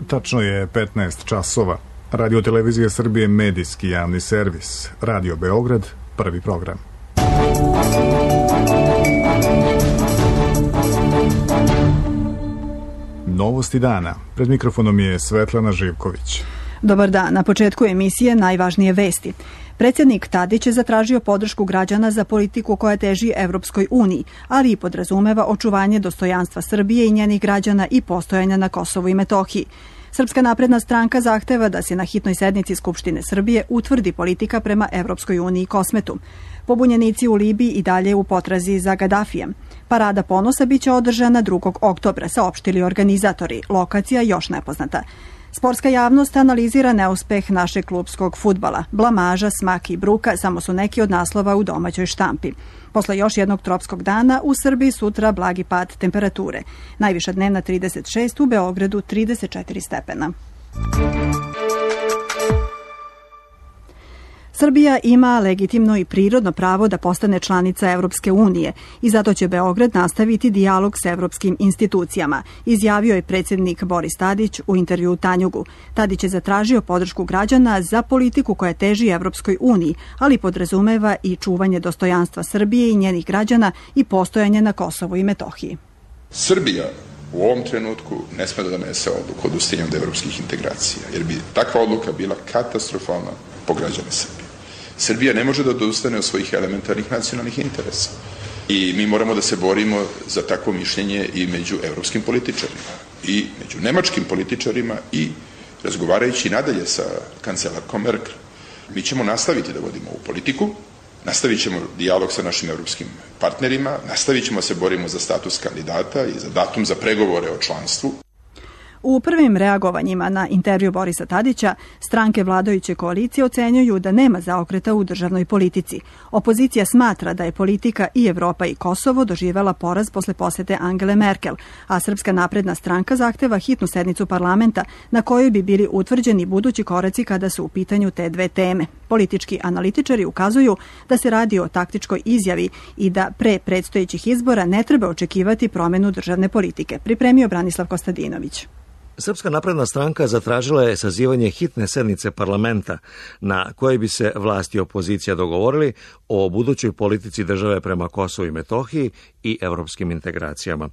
Tačno je 15 časova. Radio Televizija Srbije, medijski javni servis. Radio Beograd, prvi program. Novosti dana. Pred mikrofonom je Svetlana Živković. Dobar dan. Na početku emisije najvažnije vesti. Predsjednik Tadić je zatražio podršku građana za politiku koja teži Evropskoj uniji, ali i podrazumeva očuvanje dostojanstva Srbije i njenih građana i postojanja na Kosovu i Metohiji. Srpska napredna stranka zahteva da se na hitnoj sednici Skupštine Srbije utvrdi politika prema Evropskoj uniji i Kosmetu. Pobunjenici u Libiji i dalje u potrazi za Gadafijem. Parada ponosa biće održana 2. oktobra, saopštili organizatori. Lokacija još nepoznata. Sportska javnost analizira neuspeh našeg klupskog fudbala. Blamaža, smak i bruka samo su neki od naslova u domaćoj štampi. Posle još jednog tropskog dana u Srbiji sutra blagi pad temperature. Najviša dnevna 36, u Beogradu 34 stepena. Srbija ima legitimno i prirodno pravo da postane članica Evropske unije i zato će Beograd nastaviti dijalog s evropskim institucijama, izjavio je predsjednik Boris Tadić u intervjuu Tanjugu. Tadić je zatražio podršku građana za politiku koja teži Evropskoj uniji, ali podrazumeva i čuvanje dostojanstva Srbije i njenih građana i postojanje na Kosovu i Metohiji. Srbija u ovom trenutku ne sme da donese odluku o odustajanju od evropskih integracija, jer bi takva odluka bila katastrofalna po građane Srbije. Srbija ne može da odustane od svojih elementarnih nacionalnih interesa. I mi moramo da se borimo za takvo mišljenje i među evropskim političarima, i među nemačkim političarima, i razgovarajući nadalje sa kancelarkom Merkel. Mi ćemo nastaviti da vodimo ovu politiku, nastavit ćemo dijalog sa našim evropskim partnerima, nastavit ćemo se borimo za status kandidata i za datum za pregovore o članstvu. U prvim reagovanjima na intervju Borisa Tadića, stranke vladajuće koalicije ocenjuju da nema zaokreta u državnoj politici. Opozicija smatra da je politika i Evropa i Kosovo doživela poraz posle posete Angele Merkel, a Srpska napredna stranka zahteva hitnu sednicu parlamenta na kojoj bi bili utvrđeni budući koraci kada su u pitanju te dve teme. Politički analitičari ukazuju da se radi o taktičkoj izjavi i da pre predstojećih izbora ne treba očekivati promenu državne politike, pripremio Branislav Kostadinović. Srpska napredna stranka zatražila je sazivanje hitne sednice parlamenta na kojoj bi se vlast i opozicija dogovorili o budućoj politici države prema Kosovu i Metohiji i evropskim integracijama.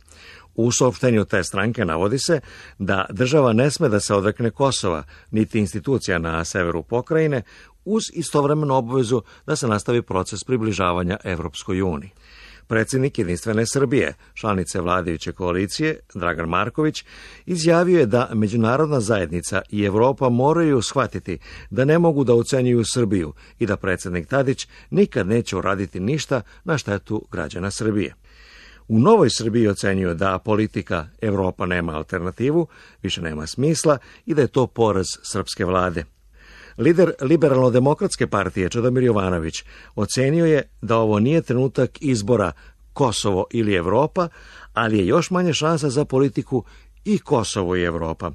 U saopštenju te stranke navodi se da država ne sme da se odrekne Kosova, niti institucija na severu pokrajine, uz istovremenu obavezu da se nastavi proces približavanja Evropskoj uniji. Predsjednik Jedinstvene Srbije, članice vladajuće koalicije, Dragan Marković, izjavio je da međunarodna zajednica i Evropa moraju shvatiti da ne mogu da ocenjuju Srbiju i da predsjednik Tadić nikad neće uraditi ništa na štetu građana Srbije. U Novoj Srbiji ocenjuju da politika Evropa nema alternativu, više nema smisla i da je to poraz srpske vlade. Lider Liberalno-demokratske partije Čedomir Jovanović ocenio je da ovo nije trenutak izbora Kosovo ili Evropa, ali je još manje šansa za politiku i Kosovo i Evropa.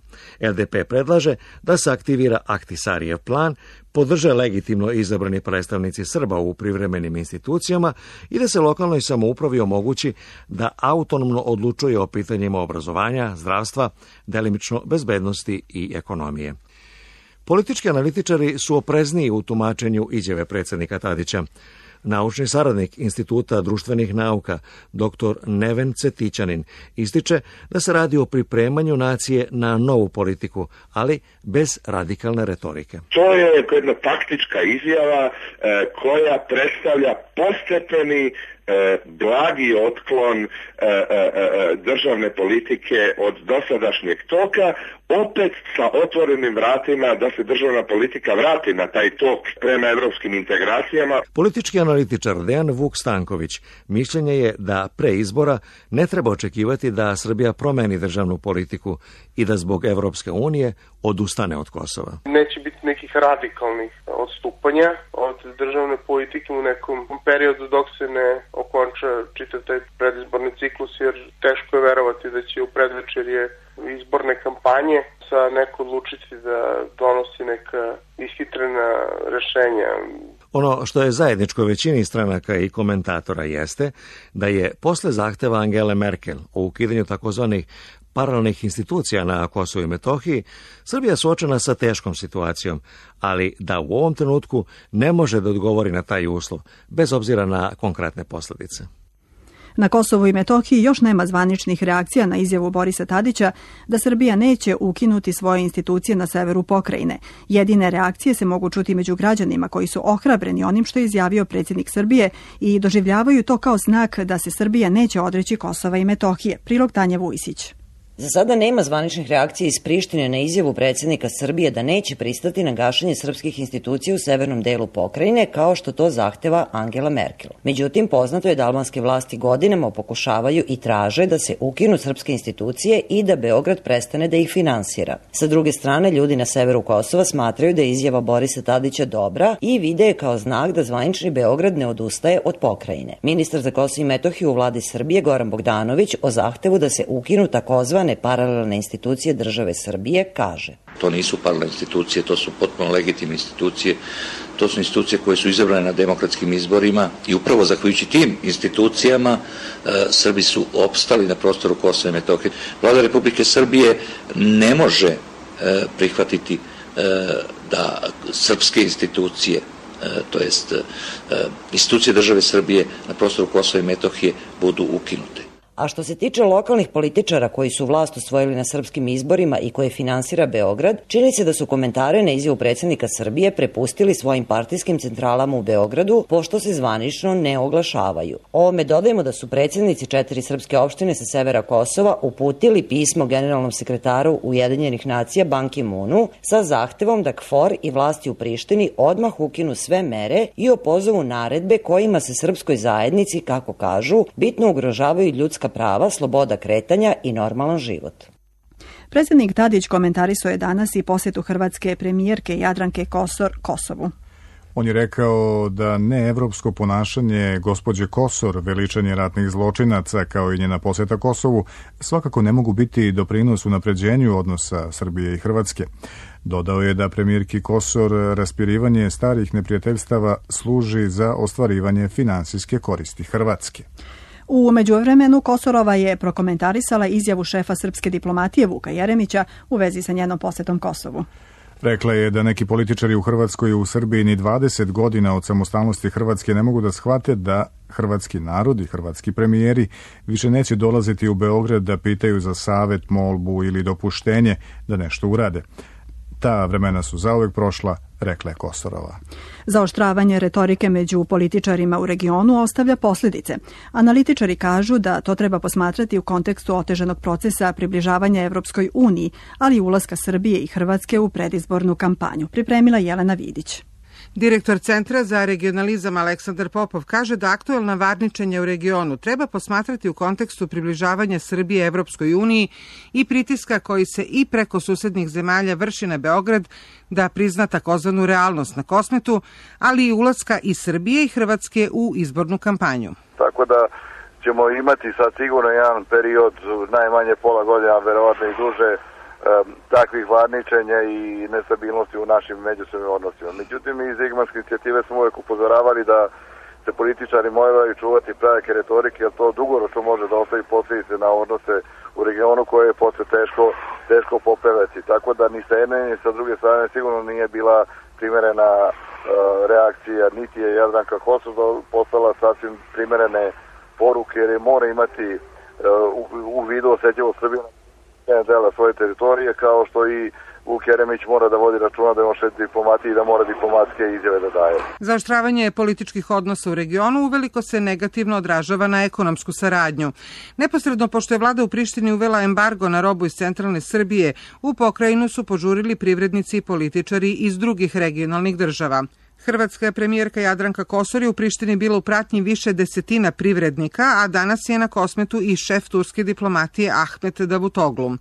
LDP predlaže da se aktivira Ahtisarijev plan, podrže legitimno izabrani predstavnici Srba u privremenim institucijama i da se lokalnoj samoupravi omogući da autonomno odlučuje o pitanjima obrazovanja, zdravstva, delimično bezbednosti i ekonomije. Politički analitičari su oprezniji u tumačenju izjave predsjednika Tadića. Naučni saradnik Instituta društvenih nauka, dr. Neven Cetićanin, ističe da se radi o pripremanju nacije na novu politiku, ali bez radikalne retorike. To je jedna taktička izjava koja predstavlja postepeni blagi otklon državne politike od dosadašnjeg toka, opet sa otvorenim vratima da se državna politika vrati na taj tok prema evropskim integracijama. Politički analitičar Dejan Vuk Stanković mišljenje je da pre izbora ne treba očekivati da Srbija promeni državnu politiku i da zbog Evropske unije odustane od Kosova. Neće biti nekih radikalnih odstupanja od državne politike u nekom periodu dok se ne okonča čitav taj predizborni ciklus, jer teško je verovati da će u predvečerje izborne kampanje sa neko odlučiti da donosi neka ishitrena rešenja. Ono što je zajedničko većini stranaka i komentatora jeste da je posle zahteva Angele Merkel o ukidanju takozvanih paralelnih institucija na Kosovu i Metohiji, Srbija je suočena sa teškom situacijom, ali da u ovom trenutku ne može da odgovori na taj uslov, bez obzira na konkretne posljedice. Na Kosovu i Metohiji još nema zvaničnih reakcija na izjavu Borisa Tadića da Srbija neće ukinuti svoje institucije na severu pokrajine. Jedine reakcije se mogu čuti među građanima koji su ohrabreni onim što je izjavio predsjednik Srbije i doživljavaju to kao znak da se Srbija neće odreći Kosova i Metohije. Prilog Tanja Vujsić. Za sada nema zvaničnih reakcija iz Prištine na izjavu predsjednika Srbije da neće pristati na gašenje srpskih institucija u severnom delu pokrajine, kao što to zahteva Angela Merkel. Međutim, poznato je da albanske vlasti godinama pokušavaju i traže da se ukinu srpske institucije i da Beograd prestane da ih finansira. Sa druge strane, ljudi na severu Kosova smatraju da je izjava Borisa Tadića dobra i vide je kao znak da zvanični Beograd ne odustaje od pokrajine. Ministar za Kosovo i Metohiju u vladi Srbije Goran Bogdanović o zahtevu da se ukinu takozvane paralelne institucije države Srbije kaže: To nisu paralelne institucije, to su potpuno legitimne institucije, to su institucije koje su izabrane na demokratskim izborima i upravo zahvaljujući tim institucijama Srbi su opstali na prostoru Kosova i Metohije. Vlada Republike Srbije ne može prihvatiti da srpske institucije, to jest institucije države Srbije na prostoru Kosova i Metohije budu ukinute. A što se tiče lokalnih političara koji su vlast osvojili na srpskim izborima i koje finansira Beograd, čini se da su komentare na izjavu predsjednika Srbije prepustili svojim partijskim centralama u Beogradu, pošto se zvanično ne oglašavaju. Ovome dodajemo da su predsjednici 4 srpske opštine sa severa Kosova uputili pismo generalnom sekretaru Ujedinjenih nacija Ban Ki-moonu sa zahtevom da KFOR i vlasti u Prištini odmah ukinu sve mere i opozovu naredbe kojima se srpskoj zajednici, kako kažu, bitno ugrožavaju ljudska prava, sloboda kretanja i normalan život. Predsjednik Tadić komentarisao je danas i posjetu hrvatske premijerke Jadranke Kosor Kosovu. On je rekao da neevropsko ponašanje gospođe Kosor, veličanje ratnih zločinaca kao i njena posjeta Kosovu svakako ne mogu biti doprinos unapređenju odnosa Srbije i Hrvatske. Dodao je da premijerki Kosor raspirivanje starih neprijateljstava služi za ostvarivanje finansijske koristi Hrvatske. U međuvremenu Kosorova je prokomentarisala izjavu šefa srpske diplomatije Vuka Jeremića u vezi sa njenom posjetom Kosovu. Rekla je da neki političari u Hrvatskoj i u Srbiji ni 20 godina od samostalnosti Hrvatske ne mogu da shvate da hrvatski narod i hrvatski premijeri više neće dolaziti u Beograd da pitaju za savet, molbu ili dopuštenje da nešto urade. Ta vremena su zauvek prošla, rekla je Kosorova. Zaoštravanje retorike među političarima u regionu ostavlja posljedice. Analitičari kažu da to treba posmatrati u kontekstu otežanog procesa približavanja Evropskoj uniji, ali i ulaska Srbije i Hrvatske u predizbornu kampanju. Pripremila Jelena Vidić. Direktor Centra za regionalizam Aleksandar Popov kaže da aktuelna varničenja u regionu treba posmatrati u kontekstu približavanja Srbije Evropskoj uniji i pritiska koji se i preko susednih zemalja vrši na Beograd da prizna takozvanu realnost na Kosmetu, ali i ulaska i Srbije i Hrvatske u izbornu kampanju. Tako da ćemo imati sad sigurno jedan period, najmanje pola godina, verovatno i duže, takvih varničenja i nestabilnosti u našim međusobnim odnosima. Međutim, iz Igmanske inicijative smo uvijek upozoravali da se političari moraju čuvati prave retorike, jer to dugoročno može da ostavi posljedice na odnose u regionu koje je posle teško popraviti. Tako da ni sa jedne ni sa druge strane sigurno nije bila primerena reakcija, niti je Jadranka Kosor poslala sasvim primerene poruke, jer je mora imati u vidu osjetljivo Srbiju dela svoje teritorije, kao što i Vuk Jeremić mora da vodi računa da može diplomatiji i da mora diplomatske izjave da daje. Zaoštravanje političkih odnosa u regionu uveliko se negativno odražava na ekonomsku saradnju. Neposredno pošto je vlada u Prištini uvela embargo na robu iz centralne Srbije, u pokrajinu su požurili privrednici i političari iz drugih regionalnih država. Hrvatska premijerka Jadranka Kosor je u Prištini bila u pratnji više desetina privrednika, a danas je na Kosmetu i šef turske diplomatije Ahmet Davutoglu.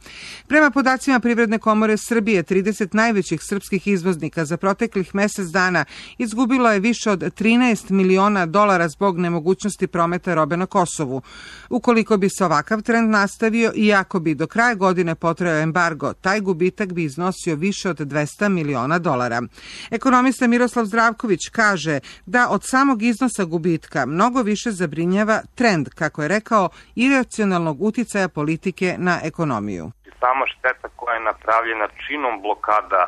Prema podacima Privredne komore Srbije, 30 najvećih srpskih izvoznika za proteklih mjesec dana izgubilo je više od 13 miliona dolara zbog nemogućnosti prometa robe na Kosovu. Ukoliko bi se ovakav trend nastavio i ako bi do kraja godine potrajao embargo, taj gubitak bi iznosio više od 200 miliona dolara. Ekonomista Miroslav Zdrav Savković kaže da od samog iznosa gubitka mnogo više zabrinjava trend, kako je rekao, iracionalnog uticaja politike na ekonomiju. Sama šteta koja je napravljena činom blokada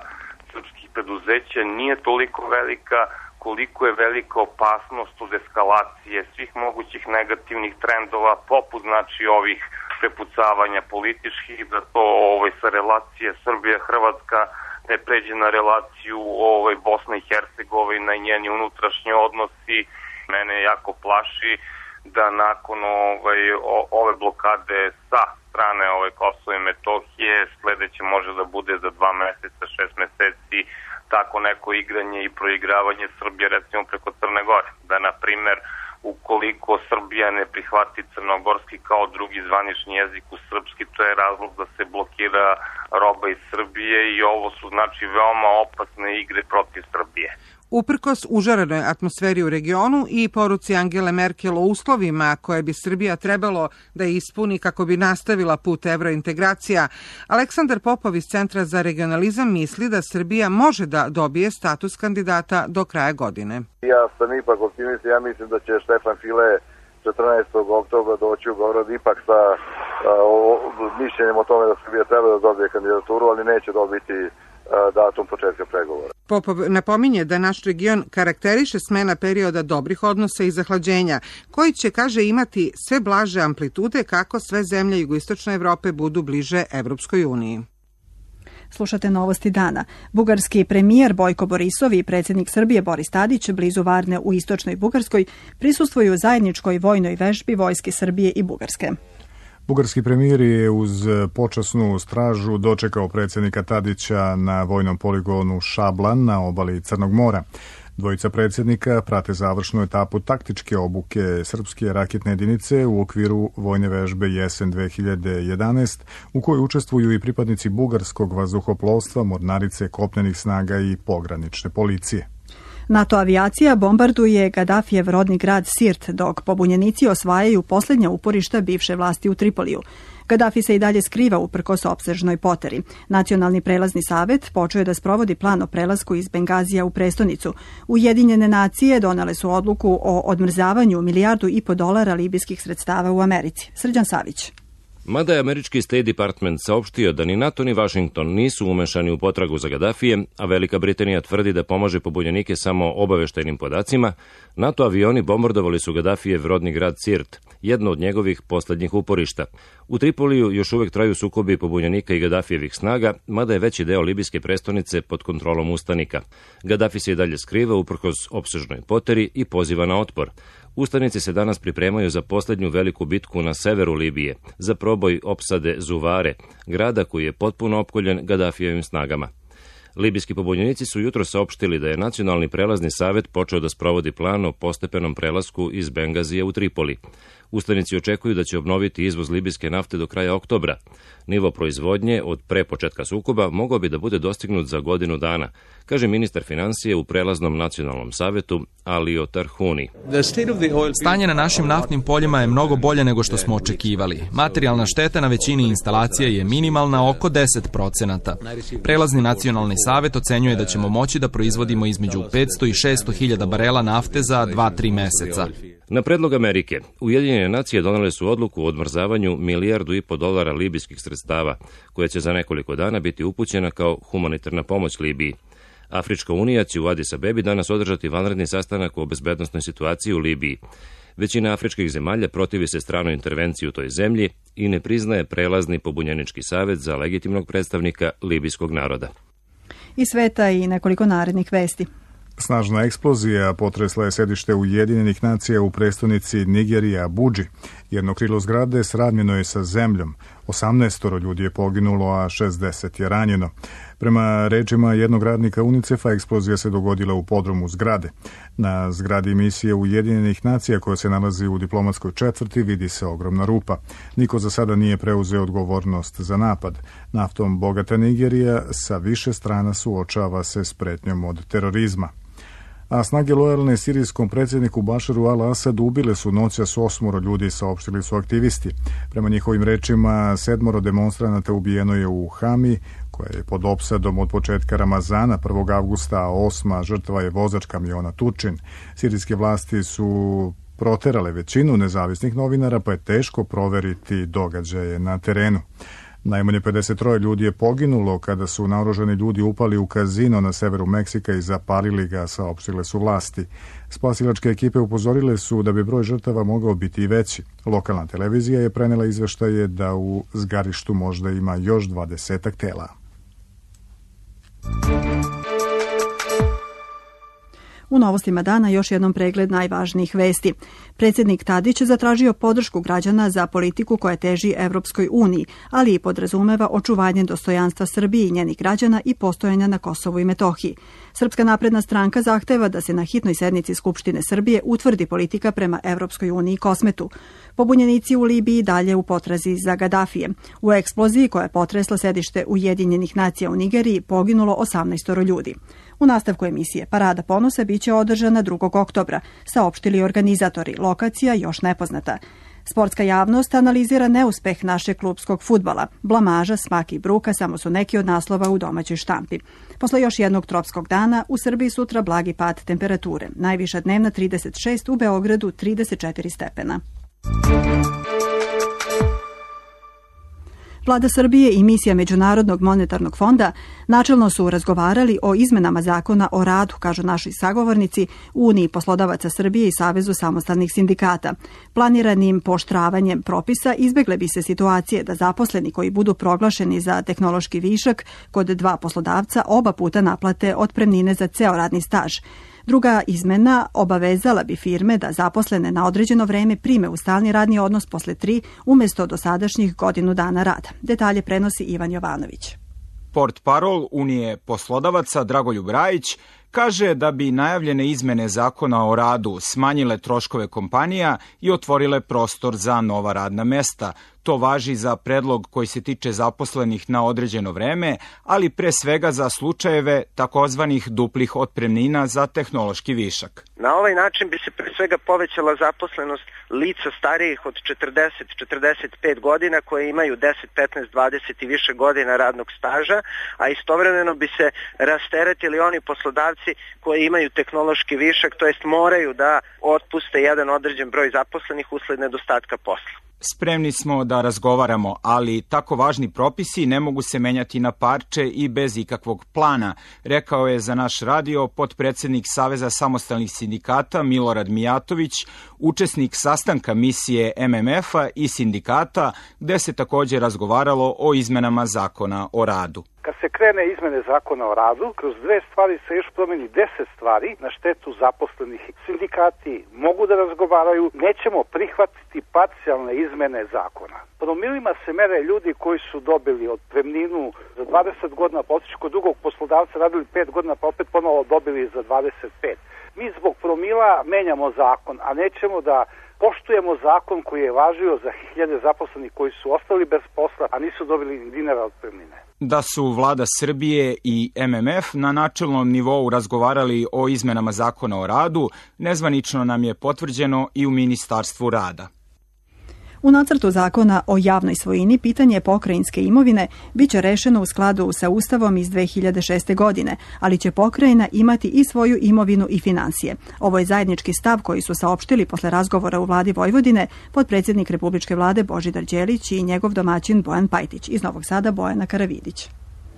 srpskih preduzeća nije toliko velika koliko je velika opasnost od eskalacije svih mogućih negativnih trendova, poput znači ovih prepucavanja političkih, da to sa relacije Srbija-Hrvatska ne pređe na relaciju Bosna i Hercegovina i njeni unutrašnji odnosi. Mene jako plaši da nakon ove blokade sa strane Kosova i Metohije sledeće može da bude za 2 meseca, 6 meseci tako neko igranje i proigravanje Srbije recimo preko Crne Gore. Da, na primer, ukoliko Srbija ne prihvati crnogorski kao drugi zvanični jezik u srpski, to je razlog da se blokira roba iz Srbije i ovo su znači veoma opasne igre protiv Srbije. Uprkos užarenoj atmosferi u regionu i poruci Angele Merkel o uslovima koje bi Srbija trebalo da ispuni kako bi nastavila put evrointegracija, Aleksandar Popov iz Centra za regionalizam misli da Srbija može da dobije status kandidata do kraja godine. Ja sam ipak optimista, ja mislim da će Štefan File 14. oktobra doći u Beograd ipak sa mišljenjem o tome da Srbija treba da dobije kandidaturu, ali neće dobiti datum početka pregovora. Popov napominje da naš region karakteriše smena perioda dobrih odnosa i zahlađenja, koji će, kaže, imati sve blaže amplitude kako sve zemlje jugoistočne Evrope budu bliže Evropskoj uniji. Slušate novosti dana. Bugarski premijer Bojko Borisov i predsjednik Srbije Boris Tadić blizu Varne u istočnoj Bugarskoj prisustvuju zajedničkoj vojnoj vežbi vojske Srbije i Bugarske. Bugarski premijer je uz počasnu stražu dočekao predsjednika Tadića na vojnom poligonu Šablan na obali Crnog mora. Dvojica predsjednika prate završnu etapu taktičke obuke srpske raketne jedinice u okviru vojne vežbe Jesen 2011, u kojoj učestvuju i pripadnici bugarskog vazduhoplovstva, mornarice, kopnenih snaga i pogranične policije. NATO avijacija bombarduje Gadafijev rodni grad Sirt, dok pobunjenici osvajaju posljednja uporišta bivše vlasti u Tripoliju. Gadafi se i dalje skriva uprkos opsežnoj poteri. Nacionalni prelazni savet počeo je da sprovodi plan o prelasku iz Bengazija u prestonicu. Ujedinjene nacije donele su odluku o odmrzavanju $1,5 milijardu libijskih sredstava u Americi. Srđan Savić. Mada je američki State Department saopštio da ni NATO ni Washington nisu umešani u potragu za Gadafijem, a Velika Britanija tvrdi da pomaže pobunjenike samo obaveštajnim podacima, NATO avioni bombardovali su Gadafijev rodni grad Sirt, jedno od njegovih poslednjih uporišta. U Tripoliju još uvek traju sukobi pobunjenika i Gadafijevih snaga, mada je veći deo libijske prestonice pod kontrolom ustanika. Gadafi se i dalje skriva uprkos opsežnoj poteri i poziva na otpor. Ustanici se danas pripremaju za posljednju veliku bitku na severu Libije, za proboj opsade Zuvare, grada koji je potpuno opkoljen Gadafijevim snagama. Libijski pobunjenici su jutro saopštili da je Nacionalni prelazni savet počeo da sprovodi plan o postepenom prelasku iz Bengazija u Tripoli. Ustanici očekuju da će obnoviti izvoz libijske nafte do kraja oktobra. Nivo proizvodnje od pre početka sukoba mogao bi da bude dostignut za godinu dana, kaže ministar financije u prelaznom nacionalnom savetu Alio Tarhuni. Stanje na našim naftnim poljima je mnogo bolje nego što smo očekivali. Materijalna šteta na većini instalacija je minimalna, oko 10%. Prelazni nacionalni savet ocenjuje da ćemo moći da proizvodimo između 500 i 600 hiljada barela nafte za 2-3 meseca. Na predlog Amerike, Ujedinjene nacije donele su odluku o odmrzavanju $1,5 milijardu libijskih sredstava, koja će za nekoliko dana biti upućena kao humanitarna pomoć Libiji. Afrička unija će u Adis Abebi danas održati vanredni sastanak o bezbednosnoj situaciji u Libiji. Većina afričkih zemalja protivi se stranoj intervenciji u toj zemlji i ne priznaje prelazni pobunjenički savet za legitimnog predstavnika libijskog naroda. Iz sveta i nekoliko narednih vesti. Snažna eksplozija potresla je sedište Ujedinjenih nacija u prestonici Nigerije Abudži. Jedno krilo zgrade sravnjeno je sa zemljom. 18 ljudi je poginulo, a 60 je ranjeno. Prema rečima jednog radnika UNICEF-a, eksplozija se dogodila u podrumu zgrade. Na zgradi misije Ujedinjenih nacija koja se nalazi u diplomatskoj četvrti vidi se ogromna rupa. Niko za sada nije preuzeo odgovornost za napad. Naftom bogata Nigerija sa više strana suočava se s pretnjom od terorizma. A snage lojalne sirijskom predsjedniku Bašaru al-Asadu ubile su noćas 8 ljudi, saopštili su aktivisti. Prema njihovim rečima 7 demonstranata ubijeno je u Hami, koja je pod opsadom od početka Ramazana 1. avgusta, a 8. žrtva je vozač kamiona Tučin. Sirijske vlasti su proterale većinu nezavisnih novinara, pa je teško proveriti događaje na terenu. Najmanje 53 ljudi je poginulo kada su naoružani ljudi upali u kazino na severu Meksika i zapalili ga, saopštile su vlasti. Spasilačke ekipe upozorile su da bi broj žrtava mogao biti i veći. Lokalna televizija je prenela izveštaje da u zgarištu možda ima još 20 tela. U novostima dana još jednom pregled najvažnijih vesti. Predsjednik Tadić zatražio podršku građana za politiku koja teži Evropskoj uniji, ali i podrazumeva očuvanje dostojanstva Srbije i njenih građana i postojanja na Kosovu i Metohiji. Srpska napredna stranka zahteva da se na hitnoj sednici Skupštine Srbije utvrdi politika prema Evropskoj uniji i Kosmetu. Pobunjenici u Libiji dalje u potrazi za Gadafije. U eksploziji koja je potresla sedište Ujedinjenih nacija u Nigeriji poginulo 18 ljudi. U nastavku emisije Parada ponosa biće održana 2. oktobra, saopštili organizatori, lokacija još nepoznata. Sportska javnost analizira neuspeh našeg klupskog fudbala. Blamaža, smak i bruka samo su neki od naslova u domaćoj štampi. Posle još jednog tropskog dana, u Srbiji sutra blagi pad temperature. Najviša dnevna 36, u Beogradu 34 stepena. Vlada Srbije i misija Međunarodnog monetarnog fonda načelno su razgovarali o izmenama zakona o radu, kažu naši sagovornici, Uniji poslodavaca Srbije i Savezu samostalnih sindikata. Planiranim pooštravanjem propisa izbegle bi se situacije da zaposleni koji budu proglašeni za tehnološki višak kod dva poslodavca oba puta naplate otpremnine za ceo radni staž. Druga izmena obavezala bi firme da zaposlene na određeno vreme prime u stalni radni odnos posle 3 umjesto dosadašnjih godinu dana rada. Detalje prenosi Ivan Jovanović. Portparol Unije poslodavaca Dragoljub Rajić kaže da bi najavljene izmene zakona o radu smanjile troškove kompanija i otvorile prostor za nova radna mesta. To važi za predlog koji se tiče zaposlenih na određeno vreme, ali pre svega za slučajeve takozvanih duplih otpremnina za tehnološki višak. Na ovaj način bi se pre svega povećala zaposlenost lica starijih od 40-45 godina koje imaju 10, 15, 20 i više godina radnog staža, a istovremeno bi se rasteretili oni poslodavci koji imaju tehnološki višak, to jest moraju da otpuste jedan određen broj zaposlenih usled nedostatka posla. Spremni smo da razgovaramo, ali tako važni propisi ne mogu se menjati na parče i bez ikakvog plana, rekao je za naš radio potpredsednik Saveza samostalnih sindikata Milorad Mijatović, učesnik sastanka misije MMF-a i sindikata, gde se također razgovaralo o izmenama zakona o radu. Kad se krene izmene zakona o radu, kroz 2 stvari se još promeni 10 stvari na štetu zaposlenih. Sindikati mogu da razgovaraju, nećemo prihvatiti parcijalne izmene zakona. Promilima se mere ljudi koji su dobili otpremninu za 20 godina, pa otišli kod drugog poslodavca, radili 5 godina, pa opet ponovo dobili za 25. Mi zbog promila menjamo zakon, a nećemo da poštujemo zakon koji je važio za hiljade zaposlenih koji su ostali bez posla, a nisu dobili ni dinara otpremnine. Da su vlada Srbije i MMF na načelnom nivou razgovarali o izmenama zakona o radu, nezvanično nam je potvrđeno i u Ministarstvu rada. U nacrtu zakona o javnoj svojini pitanje pokrajinske imovine biće rešeno u skladu sa Ustavom iz 2006. godine, ali će pokrajina imati i svoju imovinu i finansije. Ovo je zajednički stav koji su saopštili posle razgovora u vladi Vojvodine potpredsjednik Republičke vlade Božidar Đelić i njegov domaćin Bojan Pajtić. Iz Novog Sada Bojana Karavidić.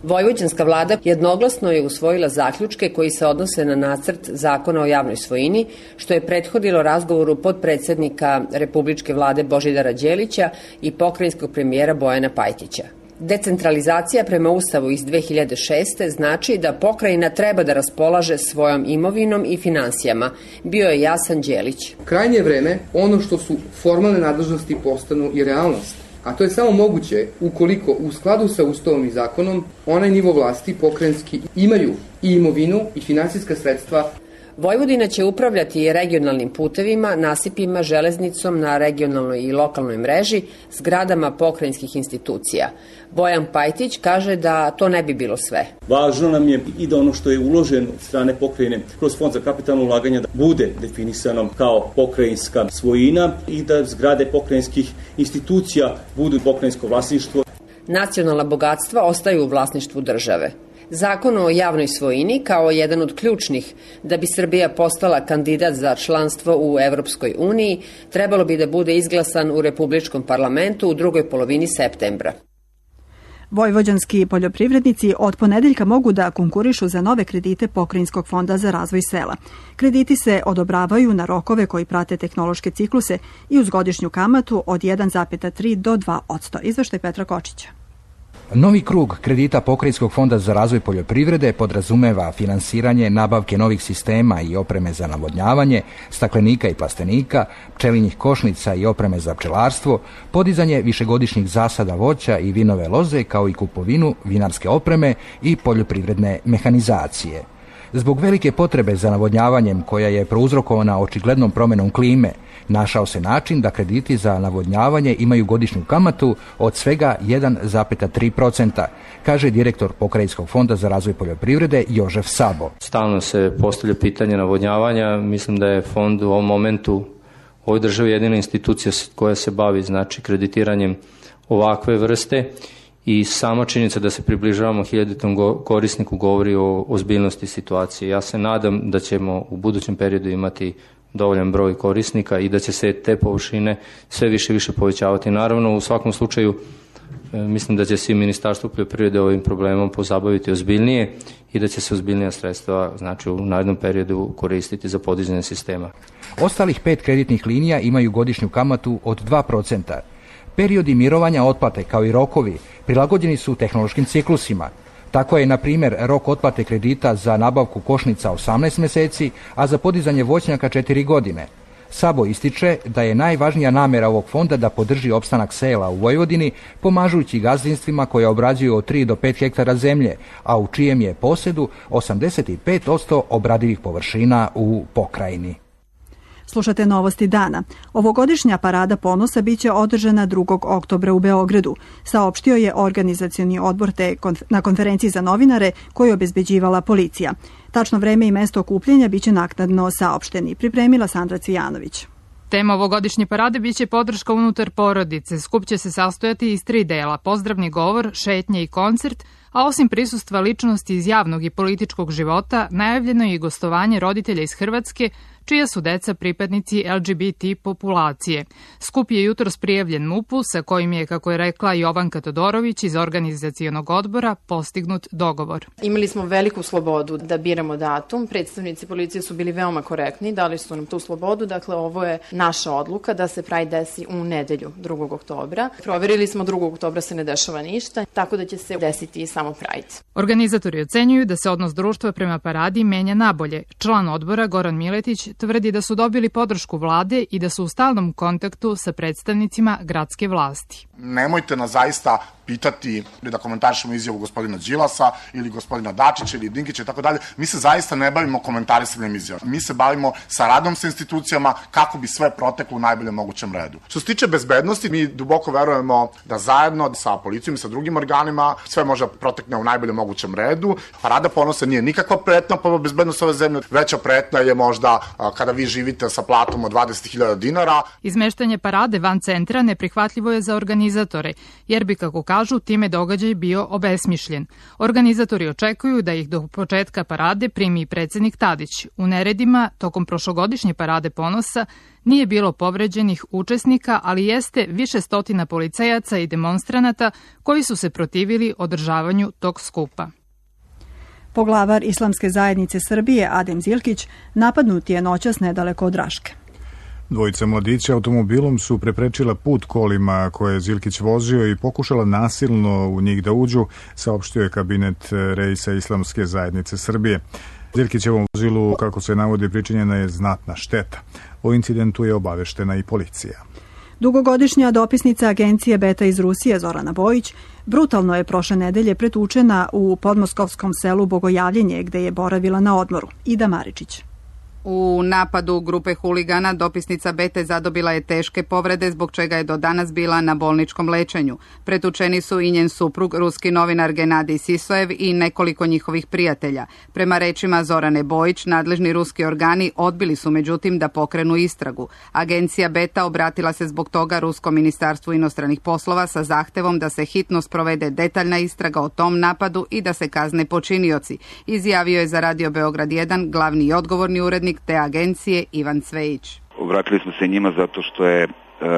Vojvođanska vlada jednoglasno je usvojila zaključke koji se odnose na nacrt zakona o javnoj svojini, što je prethodilo razgovoru potpredsjednika Republičke vlade Božidara Đelića i pokrajinskog premijera Bojana Pajtića. Decentralizacija prema Ustavu iz 2006. znači da pokrajina treba da raspolaže svojom imovinom i finansijama, bio je jasan Đelić. Krajnje je vreme ono što su formalne nadležnosti postanu i realnost. A to je samo moguće ukoliko u skladu sa Ustavom i zakonom onaj nivo vlasti pokrajinski imaju i imovinu i finansijska sredstva. Vojvodina će upravljati regionalnim putevima, nasipima, železnicom na regionalnoj i lokalnoj mreži, zgradama pokrajinskih institucija. Bojan Pajtić kaže da to ne bi bilo sve. Važno nam je i da ono što je uloženo od strane pokrajine kroz Fond za kapitalno ulaganje da bude definisano kao pokrajinska svojina i da zgrade pokrajinskih institucija budu pokrajinsko vlasništvo. Nacionalna bogatstva ostaju u vlasništvu države. Zakon o javnoj svojini kao jedan od ključnih da bi Srbija postala kandidat za članstvo u Evropskoj uniji trebalo bi da bude izglasan u Republičkom parlamentu u drugoj polovini septembra. Vojvođanski poljoprivrednici od ponedeljka mogu da konkurišu za nove kredite Pokrajinskog fonda za razvoj sela. Krediti se odobravaju na rokove koji prate tehnološke cikluse i uz godišnju kamatu od 1,3 do 2%. Izveštaj Petra Kočića. Novi krug kredita Pokrajinskog fonda za razvoj poljoprivrede podrazumeva finansiranje nabavke novih sistema i opreme za navodnjavanje, staklenika i plastenika, pčelinjih košnica i opreme za pčelarstvo, podizanje višegodišnjih zasada voća i vinove loze, kao i kupovinu vinarske opreme i poljoprivredne mehanizacije. Zbog velike potrebe za navodnjavanjem, koja je prouzrokovana očiglednom promenom klime, našao se način da krediti za navodnjavanje imaju godišnju kamatu od svega 1,3%, kaže direktor Pokrajinskog fonda za razvoj poljoprivrede Jožef Sabo. Stalno se postavlja pitanje navodnjavanja. Mislim da je fond u ovom momentu u ovoj državi jedina institucija koja se bavi kreditiranjem ovakve vrste i sama činjenica da se približavamo 1000. korisniku govori o ozbiljnosti situacije. Ja se nadam da ćemo u budućem periodu imati dovoljan broj korisnika i da će se te površine sve više i više povećavati. Naravno, u svakom slučaju mislim da će se i Ministarstvo poljoprivrede ovim problemom pozabaviti ozbiljnije i da će se ozbiljnija sredstva u narednom periodu koristiti za podizanje sistema. Ostalih 5 kreditnih linija imaju godišnju kamatu od 2%. Periodi mirovanja otplate kao i rokovi prilagođeni su tehnološkim ciklusima. Tako je, na primjer, rok otplate kredita za nabavku košnica 18 meseci, a za podizanje voćnjaka 4 godine. Sabo ističe da je najvažnija namera ovog fonda da podrži opstanak sela u Vojvodini, pomažući gazdinstvima koje obrađuju od 3 do 5 hektara zemlje, a u čijem je posedu 85% obradivih površina u pokrajini. Slušate Novosti dana. Ovogodišnja parada ponosa biće održana 2. oktobra u Beogradu, saopštio je organizacioni odbor na konferenciji za novinare koju obezbeđivala policija. Tačno vreme i mesto okupljanja biće naknadno saopšteni, pripremila Sandra Cvijanović. Tema ovogodišnje parade biće podrška unutar porodice. Skup će se sastojati iz 3 dela: pozdravni govor, šetnje i koncert, a osim prisustva ličnosti iz javnog i političkog života, najavljeno je i gostovanje roditelja iz Hrvatske, čija su deca pripadnici LGBT populacije. Skup je jutros prijavljen MUP-u, sa kojim je, kako je rekla Jovanka Todorović iz organizacionog odbora, postignut dogovor. Imali smo veliku slobodu da biramo datum. Predstavnici policije su bili veoma korektni, dali su nam tu slobodu. Dakle, ovo je naša odluka da se Pride desi u nedelju 2. oktobra. Proverili smo 2. oktobra se ne dešava ništa, tako da će se desiti samo Pride. Organizatori ocenjuju da se odnos društva prema paradi menja nabolje. Član odbora Goran Miletić tvrdi da su dobili podršku vlade i da su u stalnom kontaktu sa predstavnicima gradske vlasti. Nemojte nas zaista pitati da komentarišemo izjavu gospodina Đilasa ili gospodina Dačića ili Dinkića i tako dalje. Mi se zaista ne bavimo komentarisanjem izjava. Mi se bavimo saradom sa institucijama kako bi sve proteklo u najboljem mogućem redu. Što se tiče bezbednosti, mi duboko verujemo da zajedno sa policijom i sa drugim organima sve može protekne u najboljem mogućem redu. Parada ponosa nije nikakva pretnja po bezbednost ove zemlje. Veća pretnja je možda kada vi živite sa platom od 20.000 dinara. Izmeštanje parade van centra neprihvatljivo je za organizatore, jer bi, kako kažu, time događaj bio obesmišljen. Organizatori očekuju da ih do početka parade primi predsednik Tadić. U neredima, tokom prošlogodišnje parade ponosa, nije bilo povređenih učesnika, ali jeste više stotina policajaca i demonstranata koji su se protivili održavanju tog skupa. Poglavar Islamske zajednice Srbije Adem Zilkić napadnut je noćas nedaleko od Raške. Dvojica mladića automobilom su preprečila put kolima koje je Zilkić vozio i pokušala nasilno u njih da uđu, saopštio je kabinet reisa Islamske zajednice Srbije. Zilkićevom vozilu, kako se navodi, pričinjena je znatna šteta. O incidentu je obaveštena i policija. Dugogodišnja dopisnica agencije Beta iz Rusije Zorana Bojić brutalno je prošle nedelje pretučena u podmoskovskom selu Bogojavljenje, gde je boravila na odmoru. Ida Maričić. U napadu grupe huligana dopisnica Bete zadobila je teške povrede, zbog čega je do danas bila na bolničkom lečenju. Pretučeni su i njen suprug, ruski novinar Genadij Sisojev i nekoliko njihovih prijatelja. Prema rečima Zorane Bojić, nadležni ruski organi odbili su međutim da pokrenu istragu. Agencija Beta obratila se zbog toga Ruskom ministarstvu inostranih poslova sa zahtevom da se hitno sprovede detaljna istraga o tom napadu i da se kazne počinioci, izjavio je za Radio Beograd 1 glavni i odgovorni urednik te agencije Ivan Cvejić. Obratili smo se njima zato što je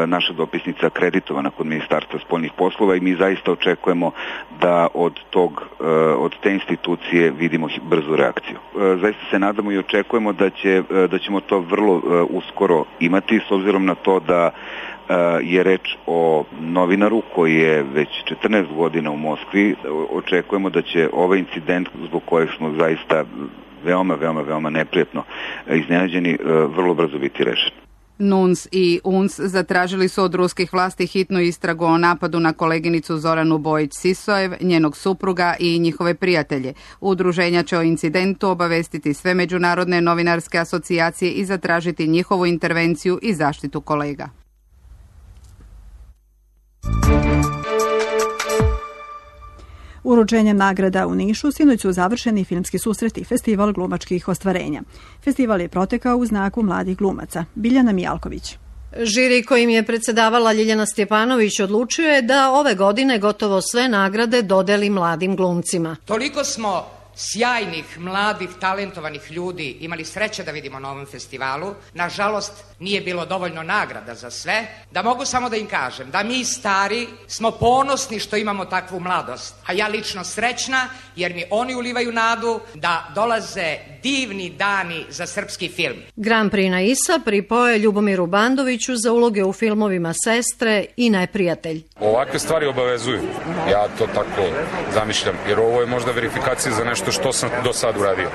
naša dopisnica akreditovana kod Ministarstva spoljnih poslova i mi zaista očekujemo da od te institucije vidimo brzu reakciju. Zaista se nadamo i očekujemo da ćemo to vrlo uskoro imati, s obzirom na to da je reč o novinaru koji je već 14 godina u Moskvi. Očekujemo da će ovaj incident, zbog kojeg smo zaista veoma neprijatno iznenađeni, vrlo brzo biti rešen. NUNS i UNS zatražili su od ruskih vlasti hitnu istragu o napadu na koleginicu Zoranu Bojić-Sisojev, njenog supruga i njihove prijatelje. Udruženja će o incidentu obavestiti sve međunarodne novinarske asocijacije i zatražiti njihovu intervenciju i zaštitu kolega. Uručenjem nagrada u Nišu sinoć su završeni filmski susreti, festival glumačkih ostvarenja. Festival je protekao u znaku mladih glumaca. Biljana Mijalković. Žiri kojim je predsedavala Ljiljana Stjepanović odlučio je da ove godine gotovo sve nagrade dodeli mladim glumcima. Toliko smo sjajnih, mladih, talentovanih ljudi imali sreće da vidimo na ovom festivalu. Nažalost, nije bilo dovoljno nagrada za sve. Da mogu samo da im kažem da mi stari smo ponosni što imamo takvu mladost. A ja lično srećna jer mi oni ulivaju nadu da dolaze divni dani za srpski film. Grand Prix na ISA pripao je Ljubomiru Bandoviću za uloge u filmovima Sestre i Neprijatelj. Ovakve stvari obavezuju. Ja to tako zamišljam, jer ovo je možda verifikacija za nešto što sam do sad uradio.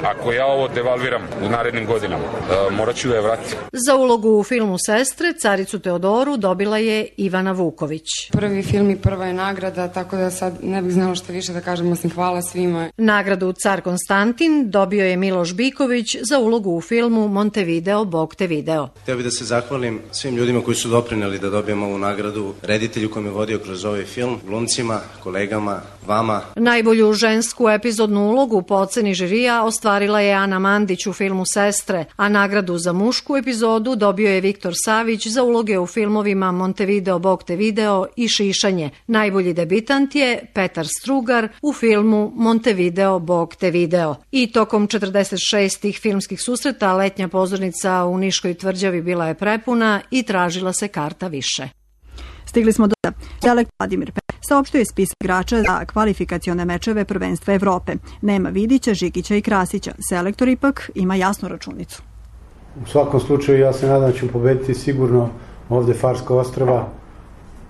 Ako ja ovo devalviram u narednim godinama, morat ću da je vratim. Za ulogu u filmu Sestre, Caricu Teodoru dobila je Ivana Vuković. Prvi film i prva je nagrada, tako da sad ne bih znala što više da kažem, osim hvala svima. Nagradu Car Konstantin dobio je Miloš Biković za ulogu u filmu Montevideo, Bog te video. Htio bih da se zahvalim svim ljudima koji su doprineli da dobijemo ovu nagradu, reditelju koji me vodio kroz ovaj film, glumcima, kolegama, vama. Najbolju žensku epizodnu ulogu po oceni žirija ostvarila je Ana Mandić u filmu Sestre, a nagradu za mušku epizodu dobio je Viktor Savić za uloge u filmovima Montevideo, Bog te video i Šišanje. Najbolji debitant je Petar Strugar u filmu Montevideo, Bog te video. I tokom 46 filmskih susreta letnja pozornica u Niškoj tvrđavi bila je prepuna i tražila se karta više. Stigli smo do selektor Vladimir Pe saopštio je spisak igrača za kvalifikacione mečeve prvenstva Evrope. Nema Vidića, Žigića i Krasića. Selektor ipak ima jasnu računicu. U svakom slučaju ja se nadam da ćemo pobediti sigurno ovde Farska ostrva,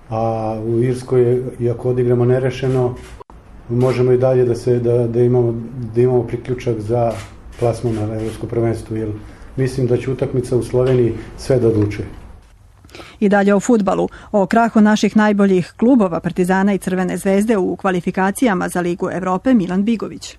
a u Irskoj, iako odigramo nerešeno, možemo i dalje da imamo priključak za plasman na evropsko prvenstvo, jer mislim da će utakmica u Sloveniji sve da odlučuje. I dalje o fudbalu. O krahu naših najboljih klubova Partizana i Crvene zvezde u kvalifikacijama za Ligu Evrope Milan Bigović.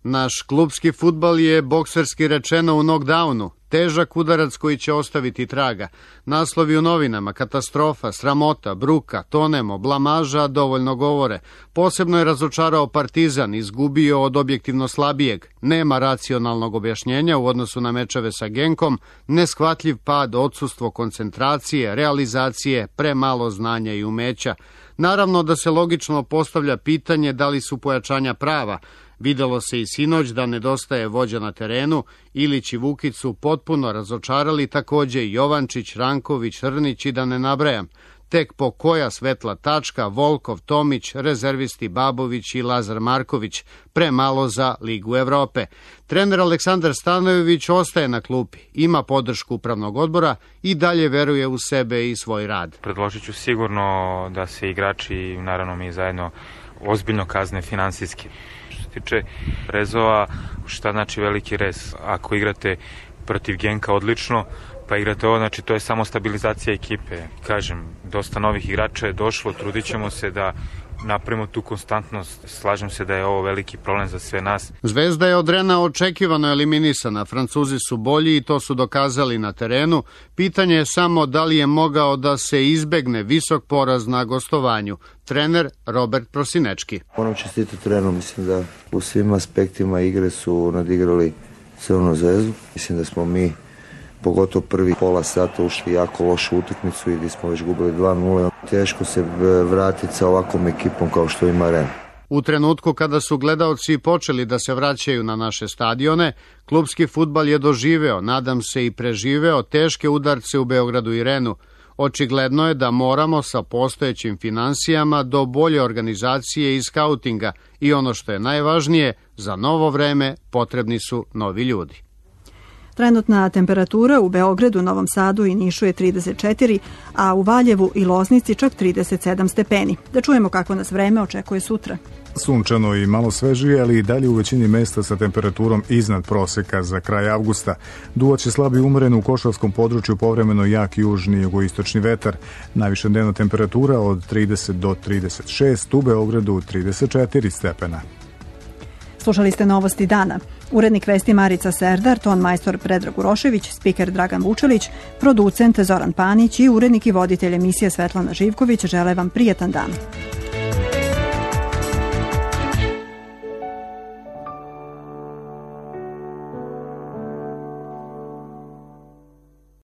Naš klubski fudbal je bokserski rečeno u knockdownu. Težak udarac koji će ostaviti traga. Naslovi u novinama, katastrofa, sramota, bruka, tonemo, blamaža dovoljno govore. Posebno je razočarao Partizan, izgubio od objektivno slabijeg. Nema racionalnog objašnjenja u odnosu na mečeve sa Genkom, neshvatljiv pad, odsustvo koncentracije, realizacije, premalo znanja i umeća. Naravno da se logično postavlja pitanje da li su pojačanja prava. Videlo se i sinoć da nedostaje vođa na terenu, Ilić i Vukić su potpuno razočarali, takođe i Jovančić, Ranković, Hrnić i da ne nabrajam. Tek po koja svetla tačka, Volkov, Tomić, rezervisti Babović i Lazar Marković, premalo za Ligu Evrope. Trener Aleksandar Stanojević ostaje na klupi, ima podršku upravnog odbora i dalje veruje u sebe i svoj rad. Predložit ću sigurno da se igrači, naravno mi zajedno, ozbiljno kazne finansijski. Što se tiče rezova, šta znači veliki rez? Ako igrate protiv Genka odlično, pa igrate ovo, znači to je samo stabilizacija ekipe. Kažem, dosta novih igrača je došlo, trudit ćemo se da napravimo tu konstantnost. Slažem se da je ovo veliki problem za sve nas. Zvezda je od Rena očekivano eliminisana. Francuzi su bolji i to su dokazali na terenu. Pitanje je samo da li je mogao da se izbegne visok poraz na gostovanju. Trener Robert Prosinečki. Moram čestitati Renu, mislim da u svim aspektima igre su nadigrali Crvenu Zvezdu. Mislim da smo mi pogotovo prvi pola sata ušli jako lošu utakmicu i gdje smo već gubili 2-0. Teško se vratiti sa ovakvom ekipom kao što ima Ren. U trenutku kada su gledaoci počeli da se vraćaju na naše stadione, klupski fudbal je doživeo, nadam se i preživeo, teške udarce u Beogradu i Renu. Očigledno je da moramo sa postojećim finansijama do bolje organizacije i skautinga i ono što je najvažnije, za novo vreme potrebni su novi ljudi. Trenutna temperatura u Beogradu, Novom Sadu i Nišu je 34, a u Valjevu i Loznici čak 37 stepeni. Da čujemo kako nas vreme očekuje sutra. Sunčano i malo svežije, ali i dalje u većini mesta sa temperaturom iznad proseka za kraj avgusta. Duvaće slabi umeren u Košavskom području, povremeno jak južni i jugoistočni vetar. Najviša dnevna temperatura od 30 do 36, u Beogradu 34 stepena. Slušali ste novosti dana. Urednik vesti Marica Serdar, ton majstor Predrag Urošević, spiker Dragan Vučelić, producent Zoran Panić i urednik i voditelj emisije Svetlana Živković žele vam prijetan dan.